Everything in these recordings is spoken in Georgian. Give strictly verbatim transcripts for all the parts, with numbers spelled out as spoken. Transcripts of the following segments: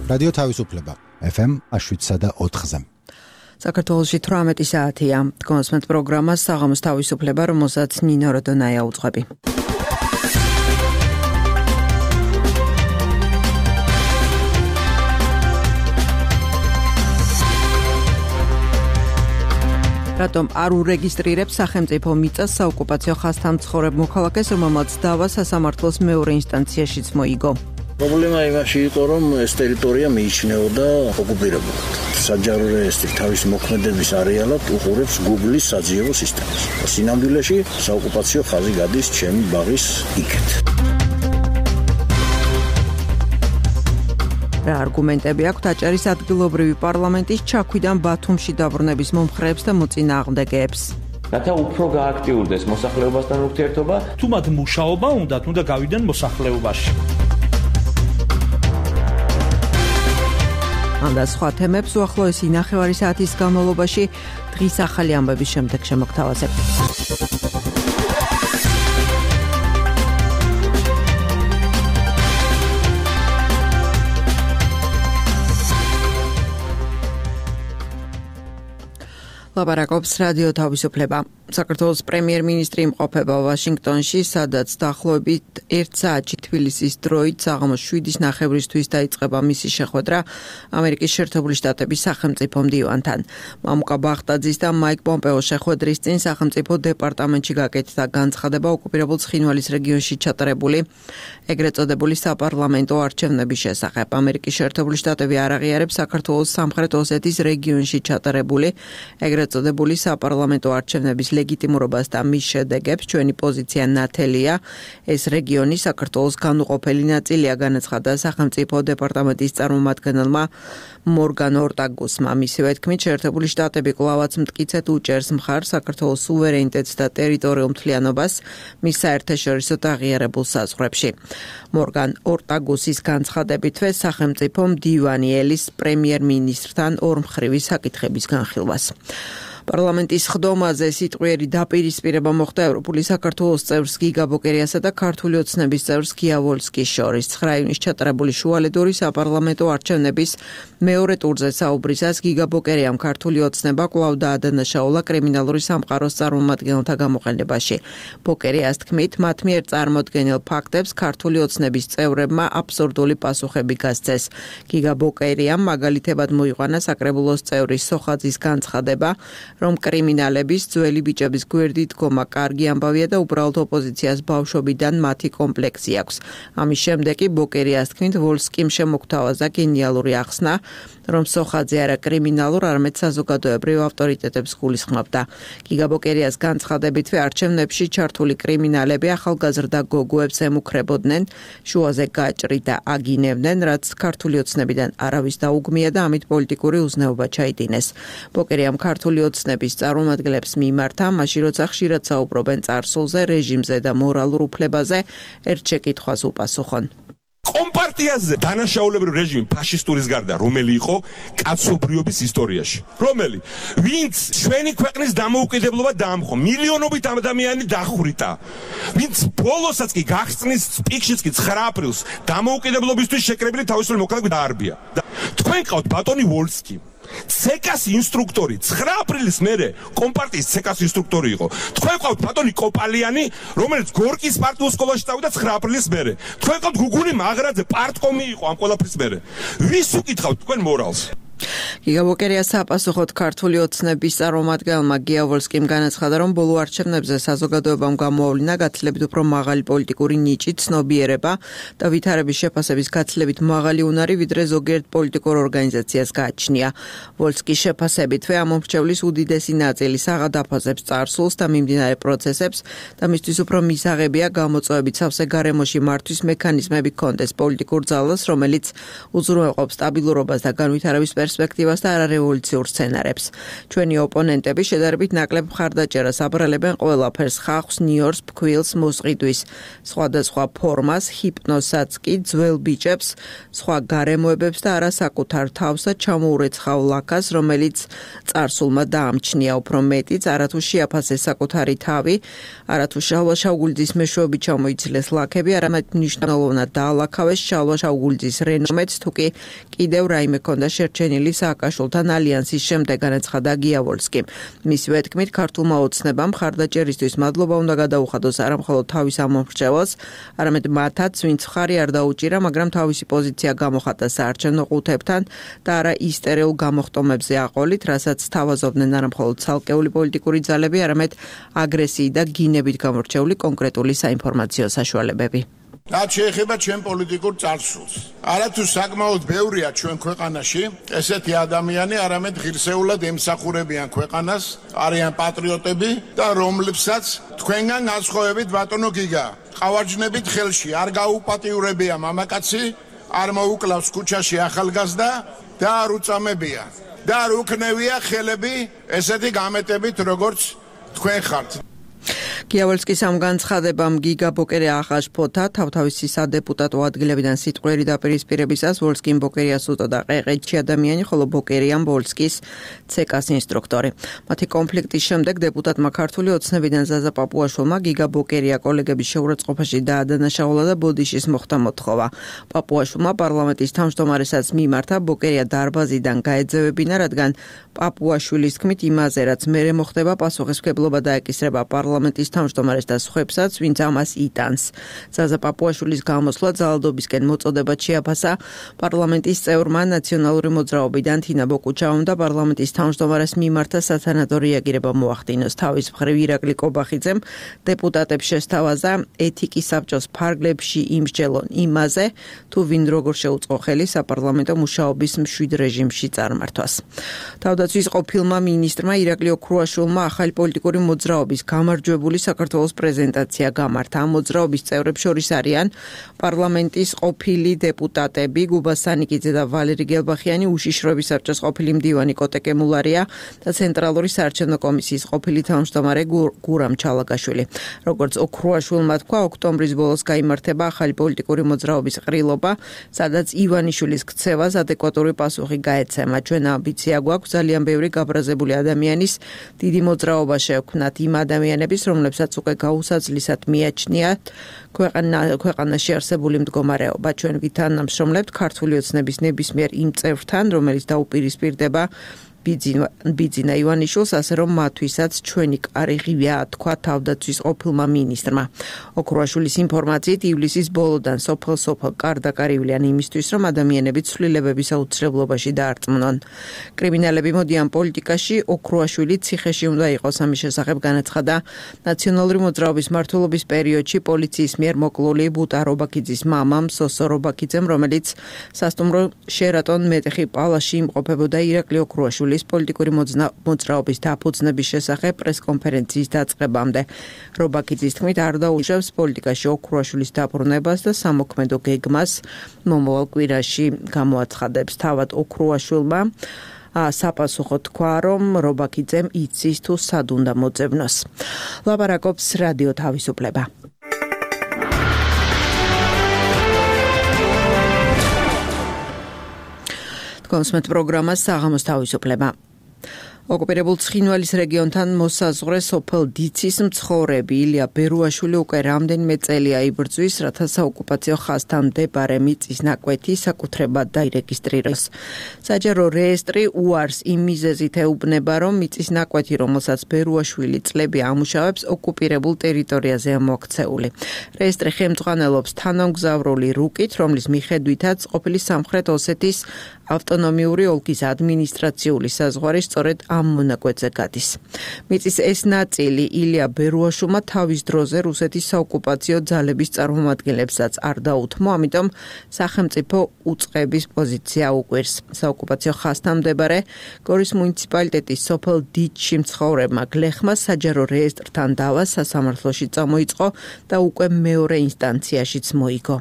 რადიო თავისუფლება ეფ ემ შვიდსა და ოთხზე. საქართველოში თვრამეტი საათია. გონსმენთ პროგრამას საღამოს თავისუფლება, რომელსაც ნინო როდონაია უძღვები. რატომ არ ურეგისტრირებს სახელმწიფო მიწას საოკუპაციო ხაზთან მცხოვრებ მოქალაქეს, რომელმაც დავა სასამართლოს მეორე ინსტანციაშიც მოიგო? პრობლემა იმაში იყო, რომ ეს ტერიტორია მიიჩნეოდა ოკუპირებულად. საჯარო რეესტრი თავის მოქმედების არეალად უყურებს Google-ის საძიებო სისტემას. სინამდვილეში საოკუპაციო ხაზი გადის ჩემი ბაღის იქეთ. რა არგუმენტები აქვთ აჭარის ადგილობრივი პარლამენტის ჩაქვიდან ბათუმში დაბრუნების მომხრეებს და მოწინააღმდეგეებს? რათა უფრო გააქტიურდეს მოსახლეობასთან ურთიერთობა, თუ მათ მუშაობა უნდათ, უნდა გავიდნენ მოსახლეობაში. ამ და სხვა თემებს უახლოესი ნახევარი საათის განმავლობაში დღის ახალი ამბების შემდეგ შემოგთავაზებთ. ლაპარაკობს რადიო თავისუფლება. საქართველოს პრემიერ-მინისტრი იმყოფება ვაშინგტონში, სადაც დაახლოებით ერთ საათში თბილისის დროით საღამოს შვიდის ნახევრისთვის დაიწყება მისი შეხვედრა ამერიკის შეერთებული შტატების სახელმწიფო მდივანთან. მამუკა ბახტაძის და მაიკ პომპეოს შეხვედრის წინ სახელმწიფო დეპარტამენტში გაკეთდა განცხადება ოკუპირებულ ცხინვალის რეგიონში ჩატარებული ეგრეთ წოდებული საპარლამენტო არჩევნების შესახებ. ამერიკის შეერთებული შტატები არ აღიარებს საქართველოს სამხრეთ ოსეთის რეგიონში ჩატარებული ეგრეთ წოდებული საპარლამენტო არჩევნების ლეგიტიმურობას და მის შედეგებს. ჩვენი პოზიცია ნათელია. ეს რეგიონი საქართველოს განუყოფელი ნაწილია, განაცხადა სახელმწიფო დეპარტამენტის წარმომადგენელმა მორგან ორტაგუსმა. მისივე თქმით, შეერთებული შტატები კვლავაც მტკიცედ უჭერს მხარს საქართველოს სუვერენიტეტს და ტერიტორიულ მთლიანობას მის საერთაშორისო აღიარებულ საზღვრებში. მორგან ორტაგუსის განცხადებითვე სახელმწიფო მდივანი ელის პრემიერ-მინისტრთან ორმხრივი საკითხების განხილვას. პარლამენტის ხდომაზე სიტყვიერი დაპირისპირება მოხდა ევროპული საქართველოს წევრს გიგა ბოკერიასა და ქართული ოცნების წევრს გია ვოლსკის შორის. ცხრა ივნის ჩატარებული შუალედური საპარლამენტო არჩევნების მეორე ტურზე საუბრისას გიგა ბოკერიამ ქართული ოცნება კვლავ დაადანაშაულა კრიმინალური სამყაროს წარმომადგენელთა გამოყენებაში. ბოკერიას თქმით, მათ მიერ წარმოდგენილ ფაქტებს ქართული ოცნების წევრებმა აბსურდული პასუხები გასცეს. გიგა ბოკერიამ მაგალითებად მოიყვანა საკრებულოს წევრის სოხაძის განცხადება, რომ კრიმინალების ძველი ბიჭების გვერდით დგომა კარგი ამბავია და უბრალოდ ოპოზიციას ბავშვობიდან მათი კომპლექსი აქვს. ამის შემდეგ კი ბოკერიას თქმით, ვოლსკიმ შემოგთავაზა გენიალური ახსნა, რომ სოხაძე არა კრიმინალურ, არამედ საზოგადოებრივ ავტორიტეტებს გულისხმობდა. გიგა ბოკერიას განცხადებითვე არჩევნებში ჩართული კრიმინალები ახალგაზრდა გოგოებს ემუქრებოდნენ, შუაზე გაჭრით და აგინებდნენ, რაც ქართული ოცნებიდან არავის დაუგმია და ამით პოლიტიკური უზნეობა ჩაიდინეს. ბოკერიამ ქართული ოცნების წარმომადგენლებს მიმართა, მაშინ როცა ხშირად საუბრობენ წარსულზე, რეჟიმზე და მორალურ უფლებაზე, ერთ შეკითხვას უპასუხონ. კომპარტიაზე დანაშაულებრივი რეჟიმი ფაშისტურის გარდა რომელი იყო კაცობრიობის ისტორიაში, რომელი ვინც ჩვენი ქვეყნის დამოუკიდებლობა დაამხო, მილიონობით ადამიანი დახვრიტა, ვინც ბოლოსაც კი გახსნის პიკშიც კი ცხრა აპრილს დამოუკიდებლობისთვის შეკრებილი თავისუფლი მოქალაქე დაარბია. თქვენ ყავთ ბატონი ვოლსკი, ცეკას ინსტრუქტორი, ცხრა აპრილის მერე კომპარტიის ცეკას ინსტრუქტორი იყო. თქვენ ყავთ ბატონი კოპალიანი, რომელიც გორკის პარტიულ სკოლაში წავიდა ცხრა აპრილის მერე. თქვენ ყავთ გუგული მაღრაძე, პარტკომი იყო ამ ყველაფრის მერე. ვის უკითხავთ თქვენ მორალს? გიგა ბოკერიას საპასუხოდ ქართული ოცნების წარმომადგენელმა გია ვოლსკიმ განაცხადა, რომ ბოლო არჩევნებზე საზოგადოებამ გამოავლინა გაცილებით უფრო მაღალი პოლიტიკური ნიჭი, ცნობიერება და ვითარების შეფასების გაცილებით მაღალი უნარი, ვიდრე ზოგიერთ პოლიტიკურ ორგანიზაციას გააჩნია. ვოლსკის შეფასებითვე ამ მომრჩევლის უდიდესი ნაწილი საღადაფასებს წარსულს და მიმდინარე პროცესებს და მისთვის უფრო მისაღებია გამოწვევებით სავსე გარემოში მართვის მექანიზმები ჰქონდეს პოლიტიკურ ძალას, რომელიც უზრუნველყოფს სტაბილურობას და განვითარების პერსპექტივას და არარევოლუციურ სცენარებს. ჩვენი ოპონენტები შედარებით ნაკლებ მხარდაჭერას აბრალებენ ყველაფერს, ხალხს, ნიორს, ფქვილს, მოსყიდვის, სხვადასხვა ფორმას, ჰიპნოზსაც კი ძველ ბიჭებს, სხვა გარემოებებს და არა საკუთარ თავსა ჩამოურეცხავ ლაქას, რომელიც წარსულმა დაამჩნია უფრო მეტიც, არათუ შეაფასეს საკუთარი თავი, არათუ შალვა შავგულძის მეშვეობით ჩამოიცილეს ლაქები, არამედ მნიშვნელოვნად დაალაქავეს შალვა შავგულძის რენომეც, თუ კი კიდევ რაიმე ქონდა შერჩენილი სააკაშვილთან ალიანსის შემდეგ, განაცხადა გიავოლსკი. მისივე თქმით, ქართულმა ოცნებამ მხარდაჭერისთვის მადლობა უნდა გადაუხადოს არა მხოლოდ თავის ამომრჩეველს, არამედ მათაც, ვინც მხარი არ დაუჭირა, მაგრამ თავისი პოზიცია გამოხატა საარჩევნო ყუთებთან და არა ისტერეულ გამოხტომებზე აყოლით, რასაც თავაზობდნენ არა მხოლოდ ცალკეული პოლიტიკური ძალები, არამედ აგრესიით და გინებით გამორჩეული კონკრეტული საინფორმაციო საშუალებები. რაც შეეხება ჩვენ პოლიტიკურ წარსულს. არათუ საკმაოდ ბევრია ჩვენ ქვეყანაში ესეთი ადამიანი, არამედ ღირსეულად ემსახურებიან ქვეყანას, არიან პატრიოტები და რომლებსაც თქვენგან განსხვავებით ბატონო გიგა, ყავარჯნებით ხელში არ გაუპატიურებია მამაკაცი, არ მოუკლავს ქუჩაში ახალგაზრდა და არ უწამებია და არ უქნევია ხელები ესეთი გამეტებით, როგორც თქვენ ხართ. გიავოლსკის ამ განცხადებამ გიგა ბოკერია ახაშფოთა თავთავისი სადეპუტატო ადგილებიდან სიტყვიერი დაპირისპირებისას ვოლსკიმ ბოკერიას უწოდა ყეყეთში ადამიანი, ხოლო ბოკერიამ ვოლსკის ცეკას ინსტრუქტორი. მათი კონფლიქტის შემდეგ დეპუტატმა ქართული ოცნებიდან ზაზა პაპუაშვილმა გიგა ბოკერია კოლეგების შეურაცხყოფაში დაადანაშაულა და ბოდიშის მოხდა მოთხოვა. პაპუაშვილმა პარლამენტის თავმჯდომარესაც მიმართა, ბოკერია დარბაზიდან გაეძევებინა, რადგან პაპუაშვილის თქმით იმაზე, რაც მერე მოხდება, პასუხისმგებლობა დაეკისრება პარლამენტის თავმჯდომარეს და სხვებსაც, ვინც ამას იტანს. ზაზა პაპუაშვილის გამოსვლა ძალადობისკენ მოწოდებად შეაფასა პარლამენტის წევრმა ნაციონალური მოძრაობიდან თინა ბოკუჩავამ და პარლამენტის თავმჯდომარეს მიმართა სათანადო რეაგირება მოახდინოს. თავის მხრივ ირაკლი კობახიძემ დეპუტატებს შესთავაზა ეთიკის საბჭოს ფარგლებში იმსჯელონ იმაზე, თუ ვინ როგორ შეუწყო ხელი საპარლამენტო მუშაობის მშვიდ რეჟიმში წარმართვას. თავდაცვის ყოფილმა მინისტრმა ირაკლი ოქრუაშვილმა ახალი პოლიტიკური მოძრაობის გამარჯვებული საქართველოს პრეზენტაცია გამართა. ამ მოძრაობის წევრებს შორის არიან პარლამენტის ყოფილი დეპუტატები გუბა სანიკიძე და ვალერი გელბახიანი, უშიშროების საბჭოს ყოფილი მდივანი კოტე კემულარია და ცენტრალური საარჩევნო კომისიის ყოფილი თავმჯდომარე გურამ ჩალაგაშვილი. როგორც ოქრუაშვილმა თქვა, ოქტომბრის ბოლოს გაიმართება ახალი პოლიტიკური მოძრაობის ყრილობა, სადაც ივანიშვილის ქცევას ადეკვატური პასუხი გაეცემა. ჩვენ ამბიცია გვაქვს ძალიან ბევრი გაბრაზებული ადამიანის დიდი მოძრაობა შევქმნათ, იმ ადამიანების, რომლებსაც უკვე გაუსაძლისად მიაჩნიათ ქვეყანა ქვეყანაში არსებული მდგომარეობა. ჩვენ ვითანამშრომლებთ ქართული ოცნების ნებისმიერ იმ წევრთან, რომელიც დაუპირისპირდება ბიძინა ივანიშვილს, ასე რომ მათთვისაც ჩვენი კარი ღია, თქვა თავდაცვის ყოფილმა მინისტრმა. ოქრუაშვილის ინფორმაციით ივლისის ბოლოდან სოფელ-სოფელ კარდაკარივლიან იმისთვის, რომ ადამიანები ცვლილებების აუცილებლობაში დაარწმუნონ. კრიმინალები მოდიან პოლიტიკაში, ოქრუაშვილი ციხეში უნდა იყოს. ამის შესახებ განაცხადა ნაციონალური მოძრაობის მმართველობის პერიოდში პოლიციის მიერ მოკლული ბუტა რობაქიძის მამამ სოსო რობაქიძემ, რომელიც სასტუმრო შერატონ მეტეხი პალაში იმყოფებოდა ირაკლი ოქრუაშვილის პოლიტიკური მოძრაობის დაფუძნების შესახებ პრესკონფერენციის დაწყებამდე. რობაქიძის თქმით, არ დაუშვებს პოლიტიკაში ოქრუაშვილის დაბრუნებას და სამოქმედო გეგმას მომავალ კვირაში გამოაცხადებს. თავად ოქრუაშვილმა საპასუხო თქვა, რომ რობაქიძემ იცის თუ სად უნდა მოძებნოს. ლაპარაკობს რადიო თავისუფლება. კონსმეთ პროგრამა საღამოს თავისუფლება. ოკუპირებულ ცხინვალის რეგიონთან მოსაზღვრე სოფელ დიცის მცხოვრები ილია ბერუაშვილი უკვე რამდენიმე წელია იბრძვის, რათა საოკუპაციო ხაზთან მდებარე მიწის ნაკვეთი საკუთრებად დაირეგისტრიროს. საჯარო რეესტრი უარს იმ მიზეზით ეუბნება, რომ მიწის ნაკვეთი, რომელსაც ბერუაშვილი წლები ამუშავებს, ოკუპირებულ ტერიტორიაზეა მოქცეული. რეესტრი ხელმძღვანელობს თანამგზავრული რუკით, რომლის მიხედვითაც ყოფილი სამხრეთ ოსეთის ავტონომიური ოლქის ადმინისტრაციული საზღვარი სწორედ ამ მონაკვეთზე გადის. მიწის ეს ნაწილი ილია ბერუაშვილმა თავის დროზე რუსეთის საოკუპაციო ძალების წარმომადგენლებსაც არ დაუთმო, ამიტომ სახელმწიფო უწყების პოზიცია უყვირს. საოკუპაციო ხაზთან მდებარე გორის მუნიციპალიტეტის სოფელ დიჩში მცხოვრებმა გლეხმა საჯარო რეესტრთან დავა სასამართლოში წამოიწყო და უკვე მეორე ინსტანციაშიც მოიგო.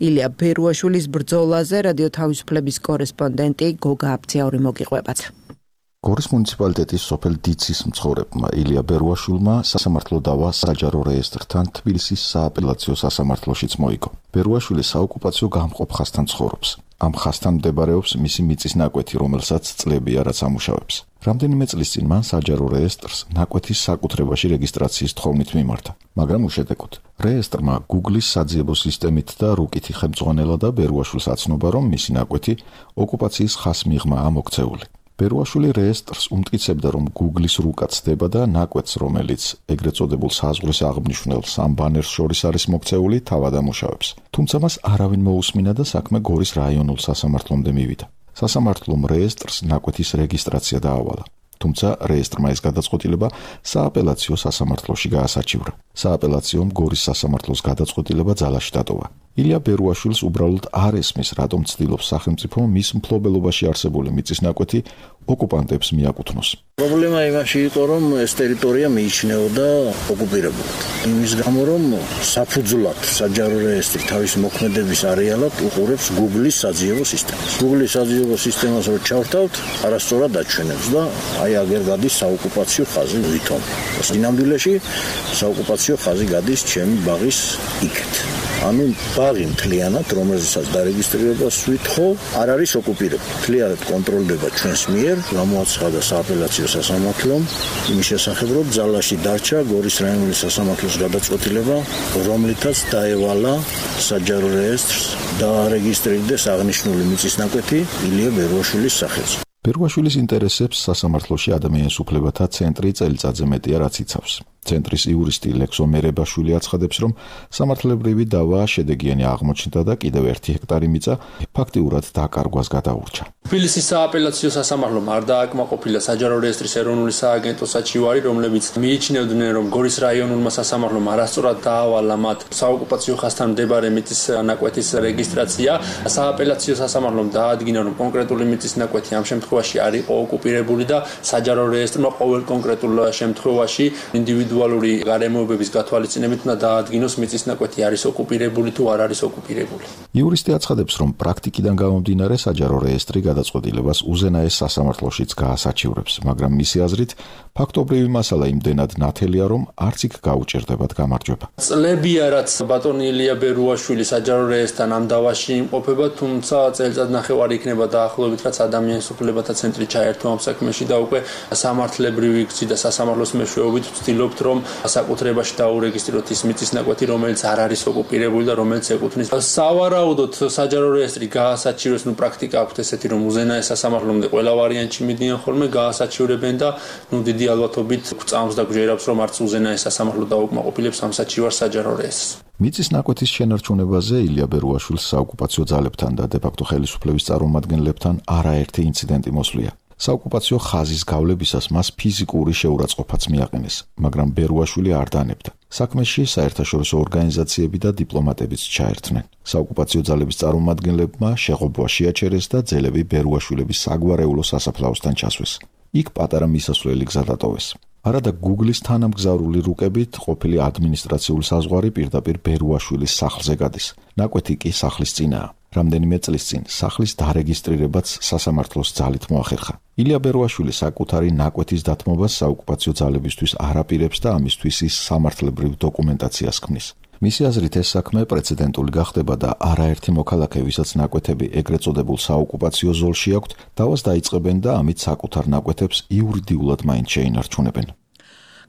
ილია ბერუაშვილის ბრძოლაზე რადიო თავისუფლების კორესპონდენტი კორესპონდენტი გოგა აბცეური მოგიყვებათ. გორის მუნიციპალიტეტის სოფელ დიცის მცხოვრებმა ილია ბერუაშვილმა სასამართლო დავა საჯარო რეესტრთან თბილისის სააპელაციო სასამართლოშიც მოიგო. ბერუაშვილი საოკუპაციო გამყოფ ხასთან ცხოვრობს. ამ ხასთან მდებარეობს მისი მიწის ნაკვეთი, რომელსაც წლებია რაც ამუშავებს. რამდენიმე წლის წინ მან საჯარო რეესტრს ნაკვეთის საკუთრებაში რეგისტრაციის თხოვნით მიმართა, მაგრამ უშედეგოდ. რეესტრმა Google-ის საძიებო სისტემით და რუკითი ხელმძღვანელად ბერუაშვილს აცნობა, რომ მისი ნაკვეთი ოკუპაციის ხას მიღმაა მოქცეული. ბერუაშვილი რეესტრს უმტკიცებდა, რომ Google-ის რუკა ცდება და ნაკვეთს, რომელიც ეგრეთ წოდებულ საზღვრის აღნიშნულს ამ ბანერს შორის არის მოქცეული, თავად ამუშავებს. თუმცა მას არავინ მოусმინა და საქმე გორის რაიონულ სასამართლომდე მივიდა. სასამართლომ რეესტრს ნაკვეთის რეგისტრაცია დაავალა. თუმცა რეესტრმა ეს გადაწყვეტილება სააპელაციო სასამართლოში გაასაჩივრა. სააპელაციომ გორის სასამართლოს გადაწყვეტილება ძალაში დატოვა. ილია ბერუაშვილს უბრალოდ არ ესმის, რატომ ცდილობს სახელმწიფო მის მფლობელობაში არსებული მიწის ნაკვეთი ოკუპანტებს მიაკუთვნოს. პრობლემა იმაში იყო, რომ ეს ტერიტორია მიიჩნეოდა ოკუპირებულად. იმის გამო, რომ საფუძვლად საჯარო რეესტრი თავის მოქმედების არეალად უყურებს Google-ის საძიებო სისტემას. Google-ის საძიებო სისტემას რო ჩავთავთ, არასწორად აჩვენებს და აი აგერ გადის საოკუპაციო ხაზი ვითომ. სინამდვილეში საოკუპაციო ხაზი გადის ჩემი ბაღის იქეთ. ანუ ბაღი მთლიანად, რომელსაც დარეგისტრირებას ვითხოვ, არ არის ოკუპირებული. მთლიანად კონტროლდება ჩვენს მიერ, გამოაცხადა სააპელაციო სასამართლომ იმის შესახებ, რომ ძალაში დარჩა გორის რაიონული სასამართლოს გადაწყვეტილება, რომლითაც დაევალა საჯარო რეესტრს დაარეგისტრირდეს აღნიშნული მიწის ნაკვეთი ილია ბერუაშვილის სახელზე. ბერუაშვილის ინტერესებს სასამართლოში ადამიანის უფლებათა ცენტრი წელიწადზე მეტია რაც იცავს. ცენტრის იურისტი ლექსო მერებაშვილი აცხადებს, რომ სამართლებრივი დავა შედეგიანი აღმოჩნდა და კიდევ ერთი ჰექტარი მიწა ფაქტიურად დაკარგვას გადაურჩა. თბილისის სააპელაციო სასამართლომ არ დააკმაყოფილა საჯარო რეესტრის ეროვნული სააგენტო საჩივარი, რომლებიც მიიჩნევდნენ, რომ გორის რაიონულმა სასამართლომ არასწორად დაავალა მათ საოკუპაციო ხასთან მდებარე მიწის ნაკვეთის რეგისტრაცია. სააპელაციო სასამართლომ დაადგინა, რომ კონკრეტული მიწის ნაკვეთი ამ შემთხვევაში არ იყო ოკუპირებული და საჯარო რეესტრმა ყოველ კონკრეტულ შემთხვევაში ინდივიდუალური გარემოებების გათვალისწინებით უნდა დაადგინოს მიწის ნაკვეთი არის ოკუპირებული თუ არ არის ოკუპირებული. იურისტი აცხადებს, რომ პრაქტიკიდან გამომდინარე საჯარო რეესტრი გადაწყვეტილებას უზენაეს სასამართლოშიც გაასაჩივრებს, მაგრამ მისი აზრით ფაქტობრივი მასალა იმდენად ნათელია, რომ არც იქ გაუჭირდებათ გამარჯვება. წლებია, რაც ბატონი ილია ბერუაშვილი საჯარო რეესტრთან ამ დავაში იმყოფება, თუმცა წელიწად ნახევარი იქნება დაახლოებით, რაც ადამიანის უფლებათა ცენტრი ჩაერთო ამ საქმეში და უკვე სამართლებრივი გზით და სასამართლოს მეშვეობით ვცდილობთ, რომ საკუთრებაში დაურეგისტრიროთ ის მიწის ნაკვეთი, რომელიც არ არის ოკუპირებული და რომელიც ეკუთვნის. სავარაუდოდ საჯარო რეესტრი გაასაჩივრებს, ნუ პრაქტიკა აქვს ესეთი, რომ უზენაეს სასამართლომდე ყველა ვარიანტში მიდიან ხოლმე, გაასაჩივრებენ და ნუ დიდი ალბათობით გვწამს და გვჯერავს, რომ არც უზენაეს სასამართლო დაუკმაყოფილებს ამ საჩივარს საჯარო რეესტრს. მიწის ნაკვეთის შენარჩუნებაზე ილია ბერუაშვილს საოკუპაციო ძალებთან და დე-ფაქტო ხელისუფლების წარმომადგენლებთან არაერთი ინციდენტი მოსვლია. საოკუპაციო ხაზის გავლებისას მას ფიზიკური შეურაცხყოფაც მიაყენეს, მაგრამ ბერუაშვილი არ დანებდა. საქმეში საერთაშორისო ორგანიზაციები და დიპლომატებიც ჩაერთნენ. საოკუპაციო ძალების წარმომადგენლებმა შეღობვა შეაჩერეს და ძელები ბერუაშვილების საგვარეულო სასაფლაოსთან ჩასვეს. იქ პატარა მისასვლელი გზა დატოვეს. არადა Google-ის თანამგზავრული რუკებით ყოფილი ადმინისტრაციული საზღვარი პირდაპირ ბერუაშვილის სახლზე გადის. ნაკვეთი კი სახლის წინაა. რამდენიმე წლის წინ სახლის დარეგისტრირებაც სასამართლოს ძალით მოახერხა. ილია ბერუაშვილი საკუთარი ნაკვეთის დათმობას საოკუპაციო ძალებისთვის არ აპირებს და ამისთვის ის სამართლებრივ დოკუმენტაციას ქმნის. მისი აზრით ეს საქმე პრეცედენტული გახდება და არაერთი მოქალაქე, ვისაც ნაკვეთები ეგრეთ წოდებულ საოკუპაციო ზოლში აქვთ, დავას დაიწყებენ და ამით საკუთარ ნაკვეთებს იურიდიულად მაინც შეინარჩუნებენ.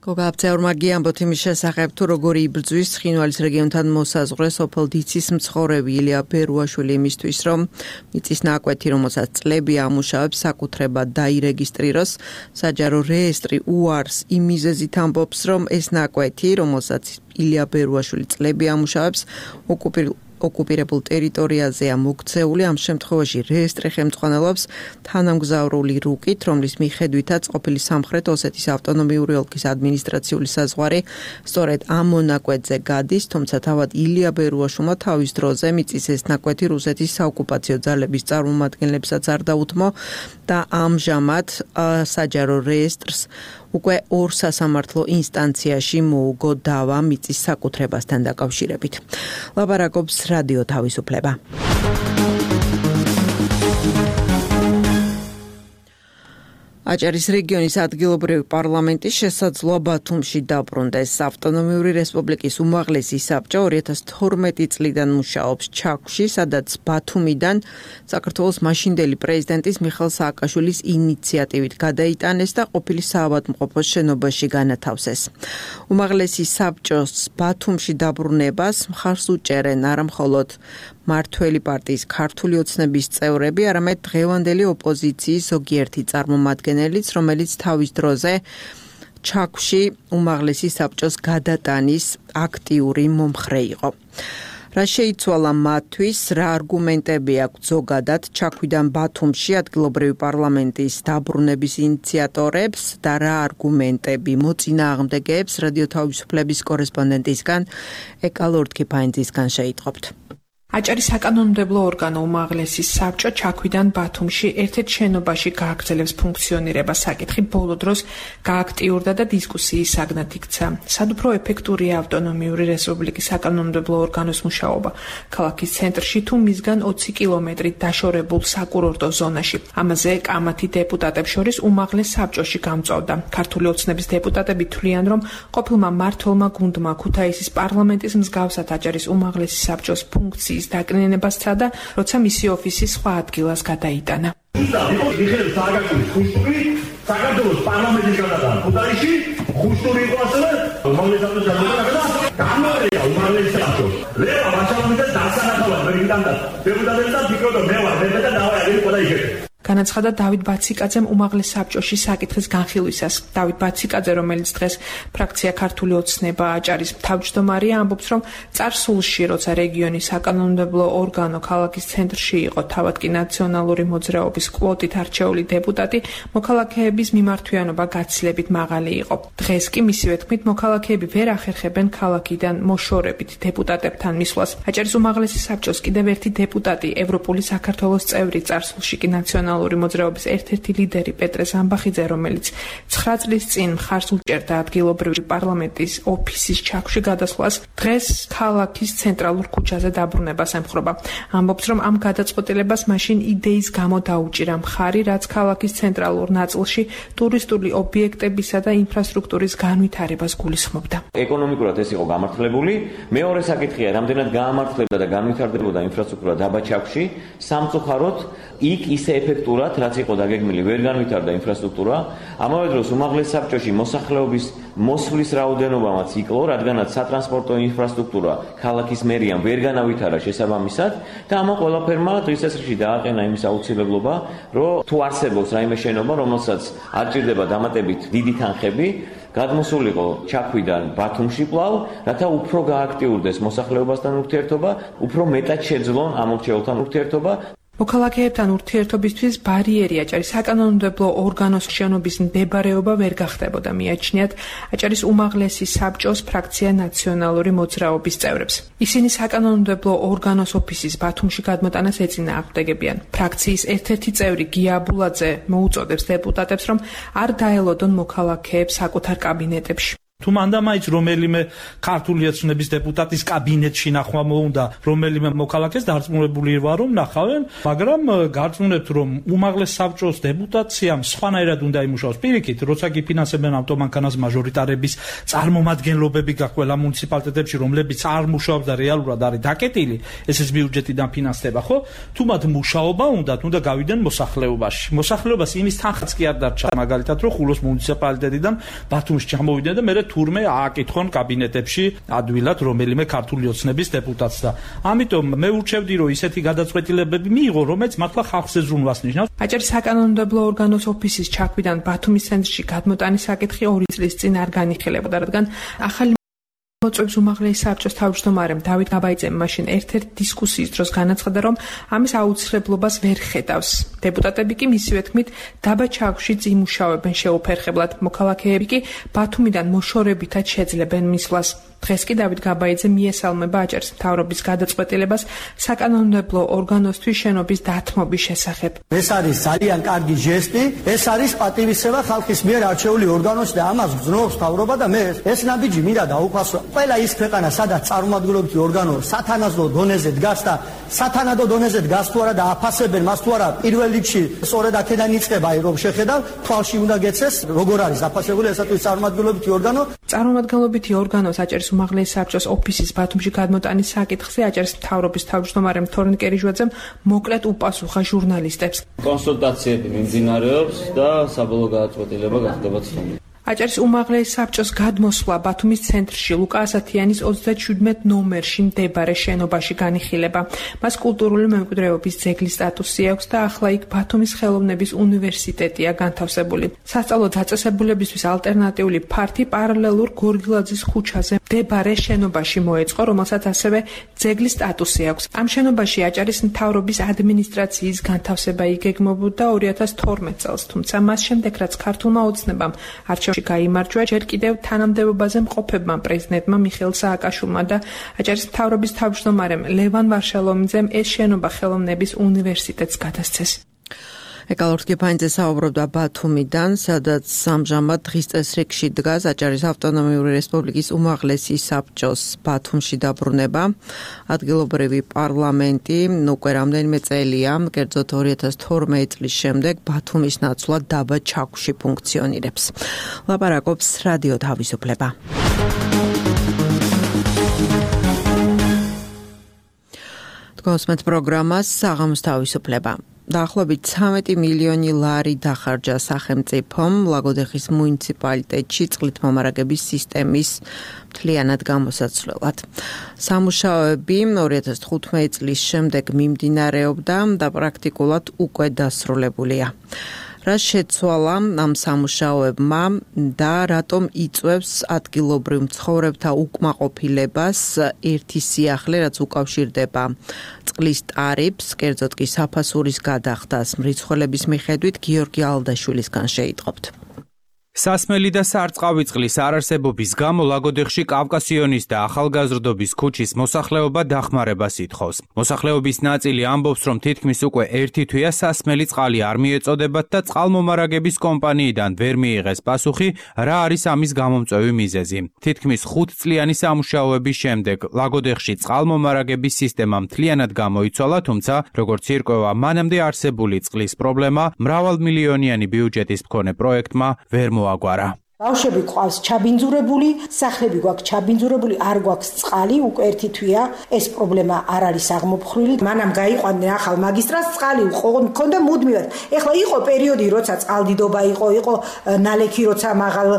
გოგა აბცეურმა გიამბოთ იმის შესახებ, თუ როგორი იბრძვის ცხინვალის რეგიონთან მოსაზღვრე სოფელ დიცის მცხოვრები ილია ბერუაშვილი იმისთვის, რომ მიწის ნაკვეთი, რომელსაც წლები ამუშავებს, საკუთრებად დაირეგისტრიროს. საჯარო რეესტრი უარს იმ მიზეზით ამბობს, რომ ეს ნაკვეთი, რომელსაც ილია ბერუაშვილი წლები ამუშავებს, ოკუპირ ოკუპირებულ ტერიტორიაზეა მოქცეული. ამ შემთხვევაში რეესტრი ხელმძღვანელობს თანამგზავრული რუკით, რომლის მიხედვითაც ყოფილი სამხრეთ ოსეთის ავტონომიური ოლქის ადმინისტრაციული საზღვარი სწორედ ამ მონაკვეთზე გადის, თუმცა თავად ილია ბერუაშვილმა თავის დროზე მიწის ეს ნაკვეთი რუსეთის საოკუპაციო ძალების წარმომადგენლებსაც არ დაუთმო და ამჟამად საჯარო რეესტრს უკვე ორ სასამართლო ინსტანციაში მოუგო დავა მიწის საკუთრებასთან დაკავშირებით. ლაპარაკობს რადიო თავისუფლება. აჭარის რეგიონის ადგილობრივი პარლამენტის შესაძლოა ბათუმში დაბრუნდეს. ავტონომიური რესპუბლიკის უმაღლესი საბჭო ორი ათას თორმეტი წლიდან მუშაობს ჩაქვში, სადაც ბათუმიდან საქართველოს მაშინდელი პრეზიდენტის მიხეილ სააკაშვილის ინიციატივით გადაიტანეს და ყოფილი საავადმყოფოს შენობაში განათავსეს. უმაღლესი საბჭოს ბათუმში დაბრუნებას მხარს უჭერენ არა მხოლოდ მართველი პარტიის ქართული ოცნების წევრები, არამედ დღევანდელი ოპოზიციის ზოგიერთი წარმომადგენელიც, რომელიც თავის დროზე ჩაქვში უმაღლესი საბჭოს გადატანის აქტიური მომხრე იყო. რა შეიცვალა მათთვის, რა არგუმენტები აქვს ზოგადად ჩაქვიდან ბათუმში ადგილობრივი პარლამენტის დაბრუნების ინიციატორებს და რა არგუმენტები მოწინააღმდეგეებს რადიო თავისუფლების კორესპონდენტისგან ეკა ლორდქიფაინძისგან შეიტყობთ. აჭარის საკანონმდებლო ორგანო უმაღლესი საბჭო ჩაქვიდან ბათუმში ერთ-ერთ შენობაში გააგრძელებს ფუნქციონირებას. საკითხი ბოლო დროს გააქტიურდა და დისკუსიის საგნად იქცა. სად უფრო ეფექტურია ავტონომიური რესპუბლიკის საკანონმდებლო ორგანოს მუშაობა ქალაქის ცენტრში თუ მისგან ოცი კილომეტრით დაშორებულ საკურორტო ზონაში. ამაზე კამათი დეპუტატებს შორის უმაღლეს საბჭოში გამწვავდა. ქართული ოცნების დეპუტატები თვლიან, რომ ყოფილმა მმართველმა გუნდმა ქუთაისის პარლამენტის მსგავსად აჭარის უმაღლესი საბჭოს ფუნქციის დაკნინებას სცადა, როცა მისი ოფისი სხვა ადგილას გადაიტანა. საქართველოს პარლამენტის გადატანა ქუთაისში ხუშტური იყო ასევე უმაღლეს საბჭოს გადატანა გამორია უმაღლეს საბჭოს. ლევა ვაჩალოვიძე დასანახავად პრეზიდენტად დეპუტატებს და ფიქრობდა მე ვარ მე და დავარ აგერი ყველა იქეთ. განაცხადა დავით ბაციკაძემ უმაღლეს საბჭოში საკითხის განხილვისას. დავით ბაციკაძე, რომელიც დღეს ფრაქცია ქართული ოცნება აჭარის თავმჯდომარეა, ამბობს, რომ წარსულში, როცა რეგიონის საკანონმდებლო ორგანო ქალაქის ცენტრში იყო, თავად კი ნაციონალური მოძრაობის კვოტით არჩეული დეპუტატი, მოქალაქეების მიმართვიანობა გაცილებით მაღალი იყო. დღეს კი მისივე თქმით, მოქალაქეები ვერ ახერხებენ ქალაქიდან მოშორებით დეპუტატებთან მისვლას. აჭარის უმაღლესი საბჭოს კიდევ ერთი დეპუტატი, ევროპული საქართველოს წევრი, წარსულში კი ნაციონალური მოძრაობის ერთ-ერთი ლიდერი პეტრე ზამბახიძე, რომელიც ცხრა წლის წინ მხარს უჭერდა ადგილობრივი პარლამენტის ოფისის ჩაქვში გადასვლას, დღეს ქალაქის ცენტრალურ ქუჩაზე დაბრუნებას ემხრობა. ამბობს, რომ ამ გადაწყვეტილებას მაშინ იდეის გამო დაუჭირა მხარი, რაც ქალაქის ცენტრალურ ნაწილში ტურისტული ობიექტებისა და ინფრასტრუქტურის განვითარებას გულისხმობდა. ეკონომიკურად ეს იყო გამართლებული. მეორე საკითხია, რამდენად გაამართლებდა და განვითარდებოდა ინფრასტრუქტურა დაბა ჩაქვში, სამწუხაროდ იქ ისე ეფექტურად, რაც იყო დაგეგმილი, ვერ განვითარდა ინფრასტრუქტურა. ამავე დროს უმაღლეს საბჭოში მოსახლეობის მოსვლის რაოდენობამაც იკლო, რადგანაც სატრანსპორტო ინფრასტრუქტურა ქალაქის მერიამ ვერ განავითარა შესაბამისად და ამ ყველაფერმა დღის წესრიგში დააყენა იმის აუცილებლობა, რომ თუ არსებობს რაიმე შენობა, რომელსაც არ ჭირდება დამატებით დიდი თანხები, გადმოსულიყო ჩაქვიდან ბათუმში კვლავ, რათა უფრო გააქტიურდეს მოსახლეობასთან ურთიერთობა, უფრო მეტად შეძლონ ამ მრჩეველთან ურთიერთობა. მოქალაქეებთან ურთიერთობისთვის ბარიერი აჭარის საკანონმდებლო ორგანოს შენობის მდებარეობა ვერ გახდებოდა, მიაჩნიათ აჭარის უმაღლესი საბჭოს ფრაქცია ნაციონალური მოძრაობის წევრებს. ისინი საკანონმდებლო ორგანოს ოფისის ბათუმში გადმოტანას ეწინააღმდეგებიან. ფრაქციის ერთ-ერთი წევრი გია აბულაძე მოუწოდებს დეპუტატებს, რომ არ დაელოდონ მოქალაქეებს საკუთარ კაბინეტებში. თუ მანდამაიც რომელიმე ქართული ოცნების დეპუტატის კაბინეტში ნახვა მოუნდა რომელიმე მოქალაქეს დარწმუნებული ვარ რომ ნახავენ, მაგრამ გარწმუნებთ რომ უმაღლეს საბჭოს დეპუტაციამ სხვანაირად უნდა იმუშაოს. პირიქით, როცა გიფინანსებენ ავტომანქანას მაჟორიტარების წარმომადგენლობები გაქვს ყველა მუნიციპალიტეტებში, რომლებიც არ მუშაობს და რეალურად არის დაკეტილი, ესეც ბიუჯეტიდან ფინანსდება, ხო? თუ მათ მუშაობა უნდათ, უნდა გავიდნენ მოსახლეობაში. მოსახლეობას იმის თანხაც კი არ დარჩა, მაგალითად, რომ ხულოს მუნიციპალიტეტიდან ბათუმში ჩამოვიდნენ და მე თურმე ააკითხონ კაბინეტებში ადვილად რომელიმე ქართული ოცნების დეპუტატს და ამიტომ მე ურჩევდი რომ ისეთი გადაწყვეტილებები მიიღო, რომელიც მართლა ხალხს ეზრუნვას ნიშნავს. აჭარის საკანონმდებლო ორგანოს ოფისის ჩაქვიდან ბათუმის ცენტრში გადმოტანის საკითხი ორი წლის წინ არ განიხილებოდა, რადგან ახალი მოწვევს უმაღლესი საბჭოს თავმჯდომარემ დავით გაბაიძემ მაშინ ერთ-ერთ დისკუსიის დროს განაცხადა, რომ ამის აუცილებლობას ვერ ხედავს. დეპუტატები კი მისივე თქმით დაბა ჩაქვში იმუშავებენ შეუფერხებლად, მოქალაქეები კი ბათუმიდან მოშორებითაც შეძლებენ მისვლას. დღეს კი დავით გაბაიძე მიესალმება აჭარის მთავრობის გადაწყვეტილებას საკანონმდებლო ორგანოსთვის შენობის დათმობის შესახებ. ეს არის ძალიან კარგი ჟესტი, ეს არის პატივისცემა ხალხის მიერ არჩეული ორგანოსი და ამას გზნობს მთავრობა და მე ეს ნაბიჯი მინდა დაუფასო. ყველა ის ქვეყანა, სადაც წარმომადგენლობითი ორგანო სათანადო დონეზე დგას და სათანადო დონეზე დგას თუ არა და აფასებენ მას თუ არა, პირველ რიგში სწორედ აქედან იწყება, რომ შეხედავ, თვალში უნდა გეცეს, როგორ არის აფასებული ესათვის წარმომადგენლობითი ორგანო. წარმომადგენლობითი ორგანოს აჭარის უმაღლესი საბჭოს ოფისის ბათუმში გადმოტანის საკითხზე აჭარის მთავრობის თავმჯდომარემ თორნიკე კერიჟვაძემ მოკლედ უპასუხა ჟურნალისტებს. კონსულტაციები მიმდინარეობს და საბოლოო გადაწყვეტილება გახდება ცნობილი. აჭარის უმაღლესი საბჭოს გადმოსვლა ბათუმის ცენტრში ლუკა ასათიანის ოცდაშვიდმეტ ნომერში მდებარე შენობაში განიხილება. მას კულტურული მემკვიდრეობის ძეგლის სტატუსი აქვს და ახლა იქ ბათუმის ხელოვნების უნივერსიტეტია განთავსებული. სასწავლო დაწესებულებისთვის ალტერნატიული ფართი პარალელურ გორგილაძის ქუჩაზე მდებარე შენობაში მოეწყო, რომელსაც ასევე ძეგლის სტატუსი აქვს. ამ შენობაში აჭარის მთავრობის ადმინისტრაციის განთავსება იგეგმებოდა ორი ათას თორმეტ წელს, თუმცა მას შემდეგ რაც ქართულმა ოცნებამ არჩევნებში გაიმარჯვა, ჯერ კიდევ თანამდებობაზე მყოფებმა პრეზიდენტმა მიხეილ სააკაშვილმა და აჭარის მთავრობის თავმჯდომარემ ლევან ვარშალომიძემ ეს შენობა ხელოვნების უნივერსიტეტს გადასცეს. ეკალორ კიფანიძე საუბრობდა ბათუმიდან, სადაც ამჟამად დღის წესრიგში დგას აჭარის ავტონომიური რესპუბლიკის უმაღლესი საბჭოს ბათუმში დაბრუნება. ადგილობრივი პარლამენტი უკვე რამდენიმე წელია, კერძოდ ორი ათას თორმეტ წლის შემდეგ ბათუმის ნაცვლად დაბა ჩაქვში ფუნქციონირებს. ლაპარაკობს რადიო თავისუფლება. თქვენს პროგრამას საღამოს თავისუფლება. დაახლოებით ცხრამეტი მილიონი ლარი დახარჯა სახელმწიფომ ლაგოდეხის მუნიციპალიტეტში წყლით მომარაგების სისტემის მთლიანად გამოსაცვლელად. სამუშაოები ორი ათას თხუთმეტ წლის შემდეგ მიმდინარეობდა და პრაქტიკულად უკვე დასრულებულია. რა შეცვალა ამ სამუშაოებმა და რატომ იწვევს ადგილობრივ მცხოვრებთა უკმაყოფილებას ერთი სიახლე, რაც უკავშირდება წყლის ტარიფს, კერძოდ კი საფასურის გადახდას მრიცხველების მიხედვით გიორგი ალდაშვილისგან შეიტყობთ. სასმელი და სარწყავი წყლის არარსებობის გამო ლაგოდეხში კავკასიონის და ახალგაზრდობის ქუჩის მოსახლეობა დახმარებას ითხოვს. მოსახლეობის ნაწილი ამბობს, რომ თითქმის უკვე ერთი თვეა სასმელი წყალი არ მიეწოდებათ და წყალმომარაგების კომპანიიდან ვერ მიიღეს პასუხი, რა არის ამის გამომწვევი მიზეზი. თითქმის ხუთწლიანი სამუშაოების შემდეგ ლაგოდეხში წყალმომარაგების სისტემა მთლიანად გამოიცვალა, თუმცა როგორც ირკვევა, მანამდე არსებული წყლის პრობლემა მრავალმილიონიანი ბიუჯეტის მქონე პროექტმა ვერ მოაგვარა. ბავშვები ყავს ჩაბინძურებული, სახლები გვაქვს ჩაბინძურებული, არ გვაქვს წყალი, უკვე ერთი თვეა ეს პრობლემა არ არის აღმოფხვრილი. მანამ გაიყვანდნენ ახალ მაგისტრატს, წყალი მქონდა მუდმივად. ეხლა იყო პერიოდი, როცა წყალდიდობა იყო, იყო ნალექი, როცა მაღალ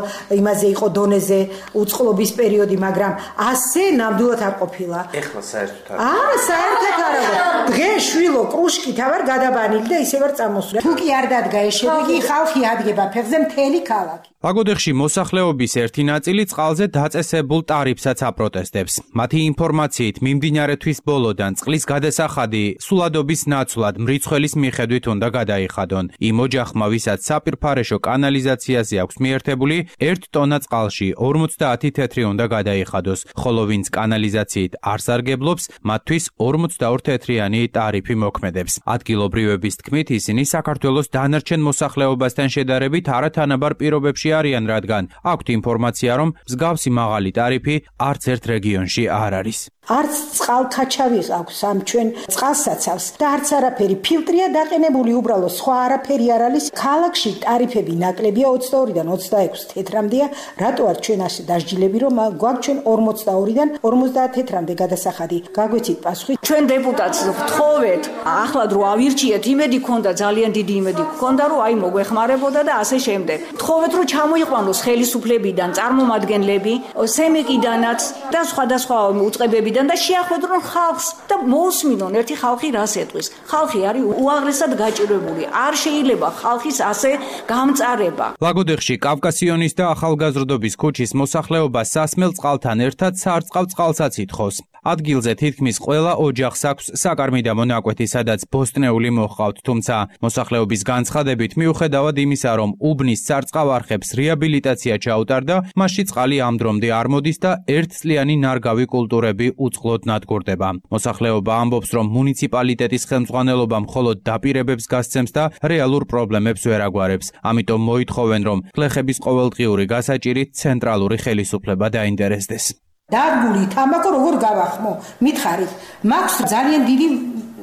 იმაზე იყო დონეზე უწყლობის პერიოდი, მაგრამ ასე ნამდვილად არ ყოფილა. ეხლა საერთოდ არ. არა, საერთოდ არ არის. დღეს შვილო კრუშკით ავარ გადაბანილი და ისე ვარ წამოსული. თუ კი არ დადგა ეს შედეგი, ხალხი ადგება ფეხზე მთელი ქალაქი. ლაგოდეხში მოსახლეობის ერთი ნაწილი წყალზე დაწესებულ ტარიფსაც აპროტესტებს. მათი ინფორმაციით მიმდინარე თვის ბოლოდან წყლის გადასახადი სულადობის ნაცვლად მრიცხველის მიხედვით უნდა გადაიხადონ. იმ ოჯახმა, ვისაც საპირფარეშო კანალიზაციაზე აქვს მიერთებული, ერთ ტონა წყალში ორმოცდაათი თეთრი უნდა გადაიხადოს, ხოლო ვინც კანალიზაციით არ სარგებლობს, მათთვის ორმოცდაორი თეთრიანი ტარიფი მოქმედებს. ადგილობრივების თქმით, ისინი საქართველოს დანარჩენ მოსახლეობასთან შედარებით არათანაბარ პირობებში არიან, რადგან აქვთ ინფორმაცია, რომ მსგავსი მაღალი ტარიფი არც ერთ რეგიონში არ არის. არც წყალქაჩავი აქვს ამ ჩვენ წყალსაცავს და არც არაფერი ფილტრია დაყენებული, უბრალოდ სხვა არაფერი არ არის. ქალაქში ტარიფები ნაკლებია, ოცდაორიდან ოცდაექვსი თეთრამდეა. რატო არ ჩვენ ასე დასჯილები, რომ გვაქვს ჩვენ ორმოცდაორიდან ორმოცდაათი თეთრამდე გადასახადი? გაგვეცით პასუხი. ჩვენ დეპუტატს ვთხოვეთ, ახლად რო ავირჩიეთ, იმედი ქონდა, ძალიან დიდი იმედი ქონდა, რომ აი მოგვეხმარებოდა და ასე შემდეგ. ვთხოვეთ, რომ ჩამოიყვანოს ხელისუფლებიდან წარმომადგენლები, სემეკიდანაც და სხვადასხვა უწყებებიდან და შეახვედრონ ხალხს და მოусმინონ ერთი ხალხი რას ეტყვის. ხალხი არის უაღრესად გაჭირვებული. არ შეიძლება ხალხის ასე გამწარება. ლაგოდეხში კავკასიონის და ახალგაზრდობის ქუჩის მოსახლეობა სასმელ წყალთან ერთად სარწყავ წყალსაც ითხოვს. ადგილზე თითქმის ყველა ოჯახს აქვს საკარმიდამო ნაკვეთი, სადაც ბოსტნეული მოჰყავთ, თუმცა მოსახლეობის განცხადებით, მიუხედავად იმისა, რომ უბნის სარწყავ არხებს რეაბილიტაცია ჩაუტარდა, მასში წყალი ამ დრომდე არ მოდის და ერთწლიანი ნარგავი კულტურები უწყლოდ ნადგურდება. მოსახლეობა ამბობს, რომ მუნიციპალიტეტის ხელმძღვანელობა მხოლოდ დაპირებებს გასცემს და რეალურ პრობლემებს ვერ აგვარებს. ამიტომ მოითხოვენ, რომ გლეხების ყოველდღიური გასაჭირით ცენტრალური ხელისუფლება დაინტერესდეს. დარგული თამბაქო როგორ გავახმო? მითხარით, მაქვს ძალიან დიდი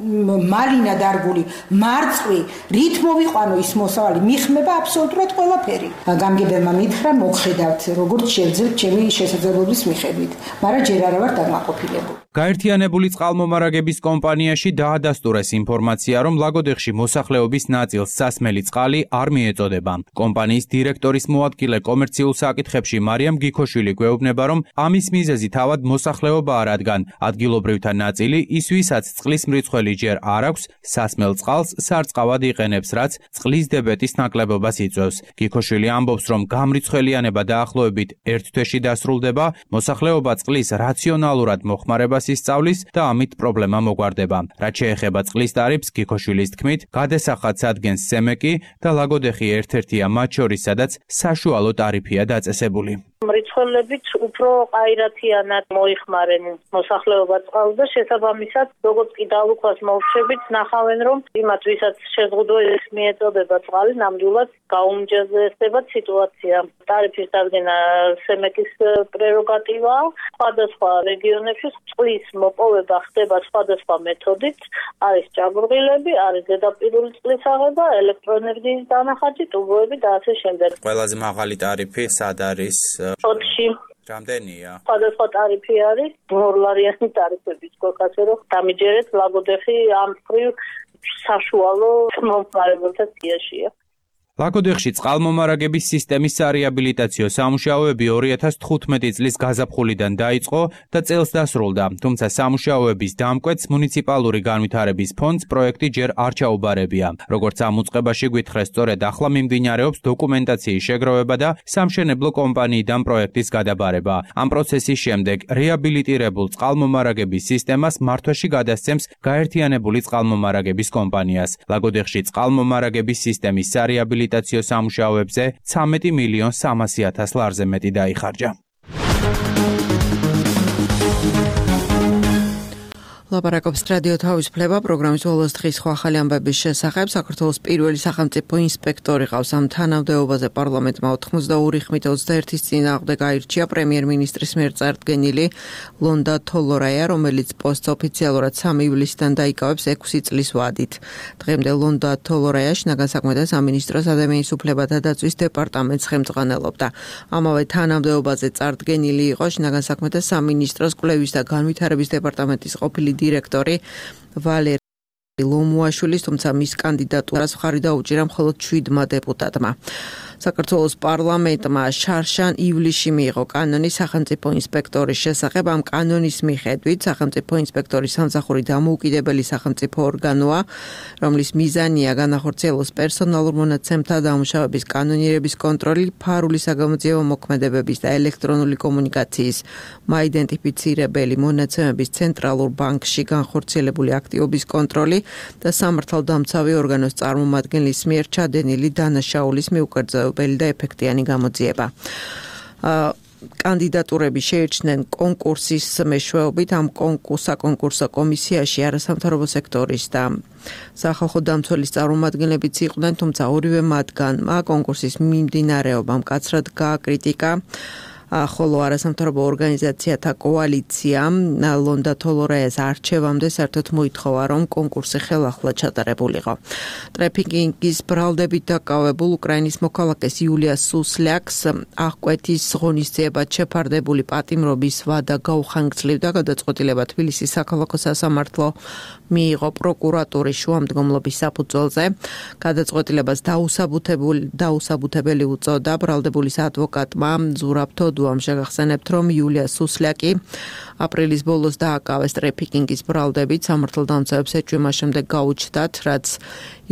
მალინა დარგული, მარწყვი, რით მოვიყვანო ის მოსავალი, მიხმება აბსოლუტურად ყველაფერი. გამგებელმა მითხრა, მოგხედავთ, როგორც შევძლებთ ჩემი შესაძლებლობის მიხედვით, მაგრამ ჯერ არა ვარ დაკმაყოფილებული. გაერთიანებული წყალმომარაგების კომპანიაში დაადასტურეს ინფორმაცია, რომ ლაგოდეხში მოსახლეობის ნაწილს სასმელი წყალი არ მიეწოდება. კომპანიის დირექტორის მოადგილე კომერციულ საკითხებში მარიამ გიქოშვილი გვეუბნება, რომ ამის მიზეზი თავად მოსახლეობაა, რადგან ადგილობრივთა ნაწილი ის, ვისაც წყლის მრიცხველი ჯერ არ აქვს, სასმელ წყალს სარწყავად იყენებს, რაც წყლის დებეტის ნაკლებობას იწვევს. გიქოშვილი ამბობს, რომ გამრიცხველიანება დაახლოებით ერთ თვეში დასრულდება, მოსახლეობა წყლის რაციონალურად მოხმარებას ისწავლის და ამით პრობლემა მოგვარდება. რაც შეეხება წყლის ტარიფს, გიქოშვილის თქმით, გადასახადს ადგენს სემეკი და ლაგოდეხი ერთ-ერთია მათ შორის, სადაც საშუალო ტარიფია დაწესებული. მრიცხველებით უფრო ყაირათიანად მოიხმარენ მოსახლეობა წყალს და შესაბამისად, როგორც კი დალუქვას მოვრჩებით, ნახავენ, რომ იმათ, ვისაც შეზღუდვას მიეწოდება წყალი, ნამდვილად გაუმჯობესდება სიტუაცია. ტარიფის დადგენა სემეკის პრეროგატივაა. სხვადასხვა რეგიონებში წყლის მოპოვება ხდება სხვადასხვა მეთოდით, არის ჭაბურღილები, არის ზედაპირული წყლის აღება, ელექტროენერგიის დანახაჯი, ტუბოები და ასე შემდეგ. ყველაზე მაღალი ტარიფი სად არის? ოთხში. რამდენია? სხვადასხვა ტარიფი არის, ორლარიანი ტარიფების გვაქვს, რომ დამიჯერეთ ლაგოდეხი ამ მხრივ საშუალო მომხმარებელთა სიაშია. ლაგოდეხში წყალმომარაგების სისტემის სარეაბილიტაციო სამუშაოები ორი ათას თხუთმეტი წლის გაზაფხულიდან დაიწყო და წელს დასრულდა, თუმცა სამუშაოების დამკვეთს მუნიციპალური განვითარების ფონდს პროექტი ჯერ არ ჩაუბარებია. როგორც ამ უწყებაში გვითხრეს, სწორედ ახლა მიმდინარეობს დოკუმენტაციის შეგროვება და სამშენებლო კომპანიიდან პროექტის გადაბარება. ამ პროცესის შემდეგ რეაბილიტირებულ წყალმომარაგების სისტემას მართვაში გადასცემს გაერთიანებული წყალმომარაგების კომპანიას. ლაგოდეხში წყალმომარაგების სისტემის სარეაბილიტაციო სამუშაოებზე ცამეტი მილიონ სამასი ათას ლარზე მეტი დაიხარჯა. ლაპარაკობს რადიო თავისუფლება პროგრამის ბოლოს დღის სხვა ახალი ამბების შესახებ. საქართველოს პირველი სახელმწიფო ინსპექტორი ყავს ამ თანამდებობაზე პარლამენტმა ოთხმოცდაორი ხმით ოცდაერთის წინააღმდეგ აირჩია პრემიერ-მინისტრის მიერ წარდგენილი ლონდა თოლორაია, რომელიც პოსტს ოფიციალურად სამი ივლისიდან დაიკავებს ექვსი წლის ვადით. დღემდე ლონდა თოლორაია შინაგან საქმეთა სამინისტროს ადამიანის უფლებათა დაცვის დეპარტამენტს ხელმძღვანელობდა. ამავე თანამდებობაზე წარდგენილი იყო შინაგან საქმეთა სამინისტროს კვლევის და განვითარების დეპარტამენტის ყოფილი დირექტორი ვალერი ლომუაშვილის, თუმცა მის კანდიდატურას მხარი დაუჭირა მხოლოდ შვიდმა დეპუტატმა. საქართველოს პარლამენტმა შარშან ივლისში მიიღო კანონი სახელმწიფო ინსპექტორის შესახებ. ამ კანონის მიხედვით სახელმწიფო ინსპექტორი სამსახური დამოუკიდებელი სახელმწიფო ორგანოა, რომლის მიზანია განახორციელოს პერსონალურ მონაცემთა დამუშავების კანონიერების კონტროლი, ფარული საგამოძიებო მოქმედებების და ელექტრონული კომუნიკაციის მაიდენტიფიცირებელი მონაცემების ცენტრალურ ბანკში განხორციელებული აქტივობის კონტროლი და სამართალდამცავი ორგანოს წარმომადგენლის მიერ ჩადენილი დანაშაულის მიუკერძოებელი და ეფექტიანი გამოძიება. კანდიდატურები შეირჩნენ კონკურსის მეშვეობით. ამ საკონკურსო კომისიაში არასამთავრობო სექტორის და სახალხო დამცველის წარმომადგენლებიც იყვნენ, თუმცა ორივე მათგანმა კონკურსის მიმდინარეობამ მკაცრად გააკრიტიკა. ხოლო არასამთავრობო ორგანიზაციათა კოალიციამ ლონდა თოლორაიას არჩევამდე საერთოდ მოითხოვა, რომ კონკურსი ხელახლა ჩატარებულიყო. ტრეფიკინგის ბრალდებით დაკავებულ უკრაინის მოქალაქეს იულია სუსლიაკს აღკვეთის ღონისძიებად შეფარდებული პატიმრობის ვადა გაუხანგრძლივდა. გადაწყვეტილება თბილისის საქალაქო სასამართლო მიიღო პროკურატურის შუამდგომლობის საფუძველზე. გადაწყვეტილებას დაუსაბუთებელი დაუსაბუთებელი უწოდა ბრალდებულის ადვოკატმა ზურაბ თოდუს უდუამ შეგახსენებთ, რომ იულია სუსლაკი აპრილის ბოლოს დააკავეს ტრეფიკინგის ბრალდებით, სამართალდამცავებს ეჭვმა შემდეგ გაუჩნდათ, რაც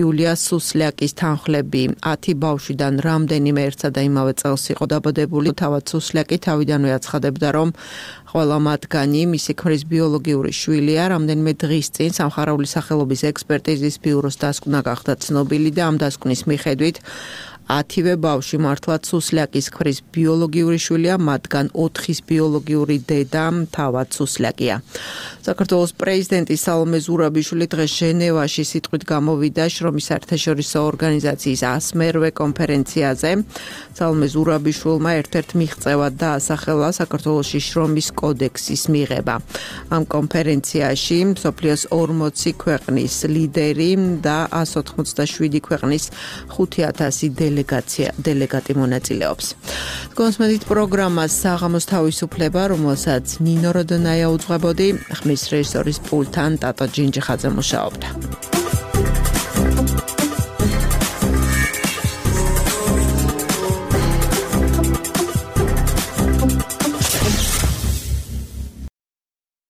იულია სუსლაკის თანხლები ათი ბავშვიდან რამდენიმე ერთსა და იმავე წელს იყო დაბადებული. თავად სუსლაკი თავიდანვე აცხადებდა, რომ ყველა მათგანი მისი ქმრის ბიოლოგიური შვილია. რამდენიმე დღის წინ სამხარეული სახელობის ექსპერტიზის ბიუროს დასკვნა გახდა ცნობილი და ამ დასკვნის მიხედვით ათივე ბავშვი მართლაც სუსლაკის ქმრის ბიოლოგიური შვილია, მათგან ოთხის ბიოლოგიური დედა თავად სუსლაკია. საქართველოს პრეზიდენტი სალომე ზურაბიშვილი დღეს ჟენევაში სიტყვით გამოვიდა შრომის საერთაშორისო ორგანიზაციის ასმერვე კონფერენციაზე. სალომე ზურაბიშვილმა ერთ-ერთ მიღწევად დაასახელა საქართველოში შრომის კოდექსის მიღება. ამ კონფერენციაში მსოფლიოს ორმოცი ქვეყნის ლიდერი და ასი ოცდაშვიდი ქვეყნის ხუთი ათასი დელეგაცია დელეგატი მონაწილეობს. კონსმედით პროგრამას საღამოს თავისუფლება, რომელსაც ნინო როდონაია უძღვებოდი, ხმის რეჟისორის პულტთან ტატო ჯინჯიხაძე მუშაობდა.